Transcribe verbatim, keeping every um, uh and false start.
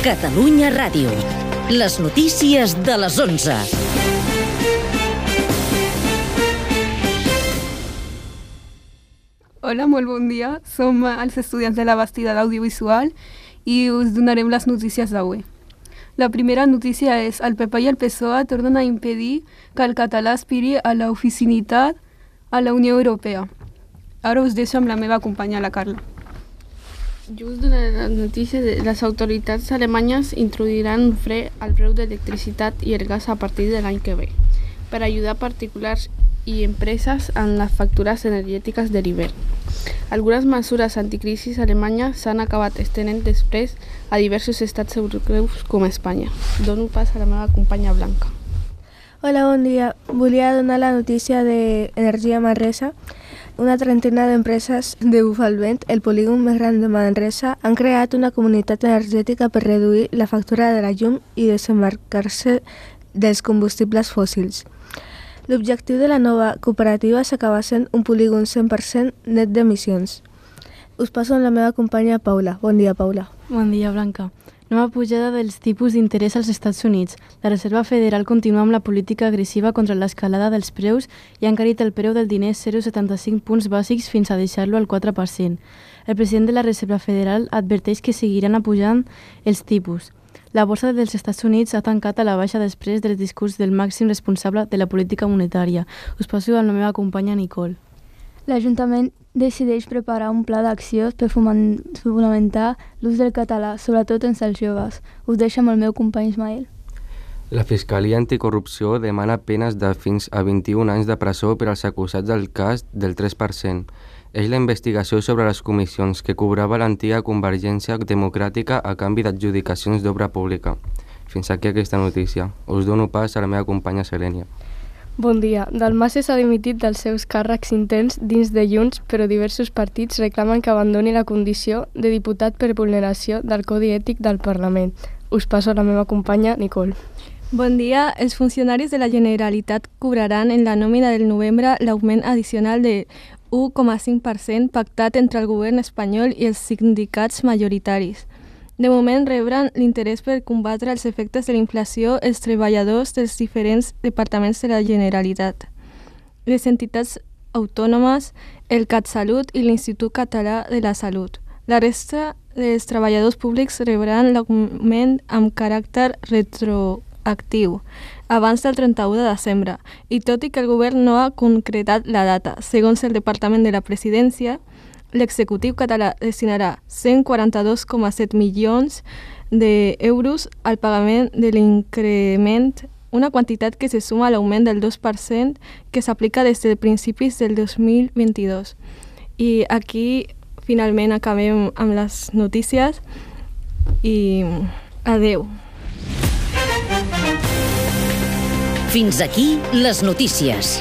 Catalunya Ràdio. Les notícies de les onze. Hola, molt bon dia. Som els estudiants de la Bastida d'Audiovisual i us donarem les notícies d'avui. La primera notícia és: el P P i el P S O E tornen a impedir que el català aspiri a la oficinitat a la Unió Europea. Ara us deixo amb la meva companya, la Carla. Jo us donaré la notícia de les autoritats alemanyes introduiran un fre al preu d'electricitat i el gas a partir de l'any que ve, per ajudar particulars i empreses en les factures energètiques de l'hivern. Algunes mesures anticrisis alemanyes s'han acabat estenent després a diversos estats europeus com Espanya. Dono pas a la meva companya Blanca. Hola, bon dia. Volia donar la notícia d'Energia Manresa. Una trentena d'empreses de Bufalvent, el polígon més gran de Manresa, han creat una comunitat energètica per reduir la factura de la llum i desembarcar-se dels combustibles fòssils. L'objectiu de la nova cooperativa s'acaba sent un polígon cent per cent net d'emissions. Us passo amb la meva companya Paula. Bon dia, Paula. Bon dia, Blanca. Nova pujada dels tipus d'interès als Estats Units. La Reserva Federal continua amb la política agressiva contra l'escalada dels preus i ha encarit el preu del diner zero coma setanta-cinc punts bàsics fins a deixar-lo al quatre per cent. El president de la Reserva Federal adverteix que seguiran apujant els tipus. La borsa dels Estats Units ha tancat a la baixa després del discurs del màxim responsable de la política monetària. Us passo amb la meva companya Nicole. L'Ajuntament decideix preparar un pla d'acció per fonamentar l'ús del català, sobretot entre els joves. Us deixo amb el meu company Ismael. La Fiscalia Anticorrupció demana penes de fins a vint-i-un anys de presó per als acusats del cas del tres per cent. És la investigació sobre les comissions que cobrava l'antiga Convergència Democràtica a canvi d'adjudicacions d'obra pública. Fins aquí aquesta notícia. Us dono pas a la meva companya Selènia. Bon dia. Dalmases s'ha dimitit dels seus càrrecs intents dins de Junts, però diversos partits reclamen que abandoni la condició de diputat per vulneració del Codi Ètic del Parlament. Us passo a la meva companya Nicole. Bon dia. Els funcionaris de la Generalitat cobraran en la nòmina del novembre l'augment addicional de u coma cinc per cent pactat entre el govern espanyol i els sindicats majoritaris. De moment rebran l'interès per combatre els efectes de la inflació els treballadors dels diferents departaments de la Generalitat, les entitats autònomes, el CatSalut i l'Institut Català de la Salut. La resta dels treballadors públics rebran l'augment amb caràcter retroactiu abans del trenta-u de desembre, i tot i que el govern no ha concretat la data, segons el Departament de la Presidència, l'executiu català destinarà cent quaranta-dos coma set milions d'euros al pagament de l'increment, una quantitat que se suma a l'augment del dos per cent que s'aplica des de principis del dos mil vint-i-dos. I aquí finalment acabem amb les notícies i adeu. Fins aquí les notícies.